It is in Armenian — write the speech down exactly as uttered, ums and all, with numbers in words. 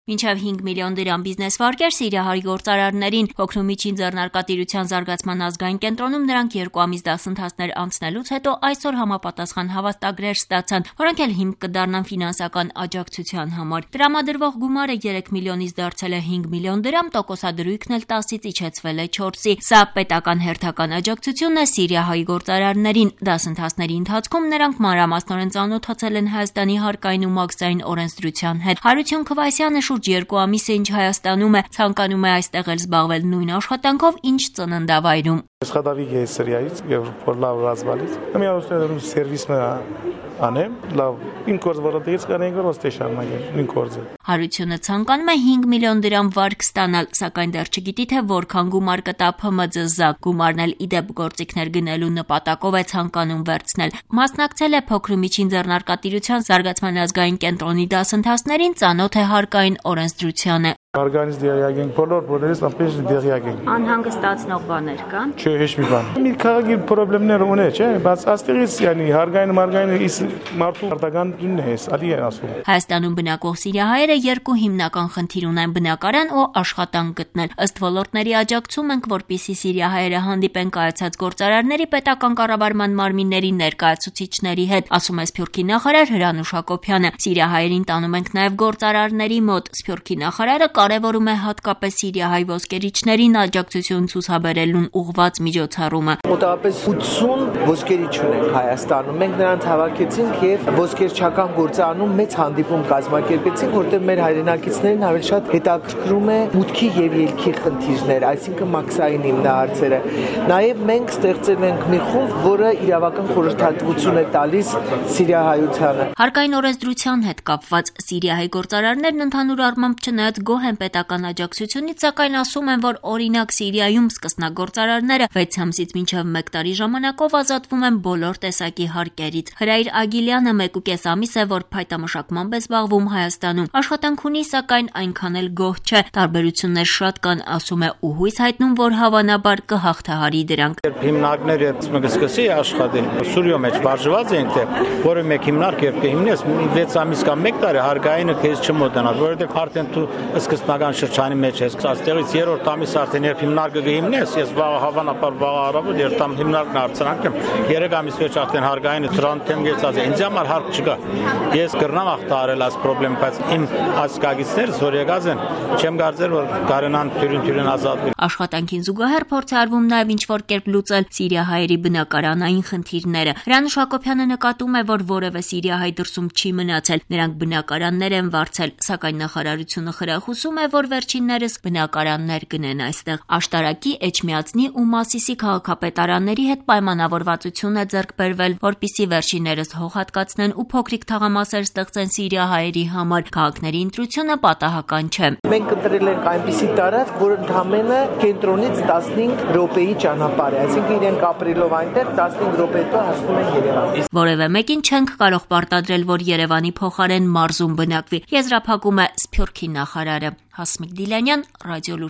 Մինչև հինգ միլիոն դրամ բիզնես վարկեր Սիրիահայ գործարարներին փոքր ու միջին ձեռնարկատիրության զարգացման ազգային կենտրոնում նրանք երկու ամիս դասընթացներ անցնելուց հետո այսօր համապատասխան հավաստագրեր ստացան, որոնք էլ հիմք կդառնան ֆինանսական աջակցության համար։ Տրամադրվող գումարը երեք միլիոնից դարձել է հինգ միլիոն դրամ, տոկոսադրույքն էլ տասից իջեցվել է չորսի։ Սա պետական հերթական աջակցությունն է Սիրիահայ գործարարներին։ Դասընթացների ընթացքում նրանք մանրամասնորեն ծանոթացել են Հայաստանի հարկային ու մաքսային օրենսդրության հետ։ Հարություն Քվասյանը շուրջ երկու ամիս է ինչ Հայաստանում է, ցանկանում է այստեղ էլ զբաղվել նույն աշխատանքով, ինչ ծննդավայրում։ Սխադավիկ է Սիրիայից եւ որ լավ ռազմալից։ Մի օստերում սերվիսը անեմ, լավ իմ կորձ որոտից կանենք ոստե շարունակեմ, իմ կորձը։ Հարությունը ցանկանում է հինգ միլիոն դրամ վարկ ստանալ, սակայն դեռ չգիտի թե որքան գումար կտա Փ Մ Ձ Զ։ Գումարն էլ իդեպ գործիքներ գնելու նպատակով է ցանկանում վերցնել։ Մասնակցել է փոքր ու միջին ձեռնարկատիրության զարգացման ազգային կենտրոնի դասընթացներին, ծանոթ է հարկային օրենսդրությանը։ Organiz դիարիագենք բոլոր բոլորից ապեջ դիարիագենք։ Անհանգստացնող բաներ կան։ Չէ, ոչ մի բան։ Մի քաղաքի խնդիրներ ունի, չէ, բայց աստեղից yani հարգային մարգային իս մարդու արտագանությունն է, ալի է ասում։ Հայաստանում բնակվող սիրիահայերը երկու հիմնական խնդիր ունեն՝ բնակարան ու աշխատանք գտնել։ Ըստ ոլորտների աջակցում ենք, որպեսզի սիրիահայերը հանդիպեն կայացած գործարարների պետական կառավարման մարմինների ներկայացուցիչների հետ, ասում է Սփյուռքի նախարար Հրանուշ Հակոբյանը։ Սիրիահայերին տանում ենք նաև գործարարների մոտ։ Սփյուռքի նախարարը կարևորում է հատկապես Սիրիահայ ոսկերիչներին աջակցություն ցուցաբերելուն ուղղված միջոցառումը։ Մոտավորապես ութսուն ոսկերիչ ունենք Հայաստանում։ Մենք նրանց հավաքեցինք եւ ոսկերչական գործանում մեծ հանդիպում կազմակերպեցինք, որտեղ մեր հայրենակիցներին ավելի շատ հետաքրքրում է մուտքի եւ ելքի խնդիրներ, այսինքն մաքսային հիմնահարցերը։ Նաեւ մենք ստեղծել ենք մի խումբ, որը իրավական խորհրդատվություն է տալիս Սիրիահայությանը։ Հարկային օրենսդրության հետ կապված Սիրիահայ գործարարներն ընդհանուր առմամբ չնայած գոհ են պետական աջակցությունից, սակայն ասում են, որ օրինակ Սիրիայում սկսնագործարարները վեց ամսից մինչև մեկ տարի ժամանակով ազատվում են բոլոր տեսակի հարկերից։ Հրայր Ագիլյանը մեկ ու կես ամիս է, որ փայտամշակմամբ է զբաղվում Հայաստանում։ Աշխատանք ունի, սակայն այնքան էլ գոհ չէ։ Տարբերություններ շատ կան, ասում է, ու հույս հայտնում, որ հավանաբար կհաղթահարի դրանք։ Երբ հիմնարկները սկսի աշխատել, Սուրիո մեջ բաժված ենք, թե որը մեկ հիմնարկ երբ կհիմնես, վեց ամիս կամ մեկ տարի հարկայինը քեզ չմոտենա, որովհետև արդեն դու սկզբնական շրջանի մեջ ես, այստեղից երրորդ ամիս արդեն երբ հիմնարկը կհիմնես, ես վաղ հավանաբար վաղ առավոտ երբ տամ հիմնարկն արցանանքեմ, երեք ամիս մեջ արդեն հարկայինը դրանք եմ գեցած է, ինձ համար հարկ չկա։ Ես կրնամ հաղթահարել այս խնդրեմ, բայց իմ ասկագիցներս որ եկած են, չեմ կարծել, որ կարենան թյուրին-թյուրին ազատվել։ Աշխատանքին զուգահեռ փորձ է արվում նաև ինչ-որ կերպ լուծել սիրիահայերի բնակարանային խնդիրները։ Հրանուշ Հակոբյանը նկատում է, որ որևէ սիրիահայ դրսում չի մնացել, նրանք բնակարաններ են վարձել, սակայն նախարարությունը խրախուսում է, որ վերջիններս բնակարաններ գնեն այստեղ։ Աշտարակի, Էջմիածնի ու Մասիսի քաղաքապետարանների հետ պայմանավորվածություն է ձեռք բերվել, որպեսզի վերջիններս հող հատկացնեն ու փոքրիկ թաղամասեր ստեղծեն սիրիահայերի համար։ Քաղաքների ընտրությունը պատահական չէ։ Մենք ընտրել ենք այնպիսի տարածք, որ ընդհանրապես կենտրոնից տասնհինգ րոպեի ճանապարհ է, այսինքն իրենք ապրելով այնտեղ տասնհինգ րոպե հետո հասնում են Երևան։ Որևէ մեկին չենք կարող պարտադրել, որ Երևանի փոխարեն մարզում բնակվի, եզրափակում է Սփյուռքի նախարարը։ Հասմիկ Դիլանյան, Ռադիոլուր։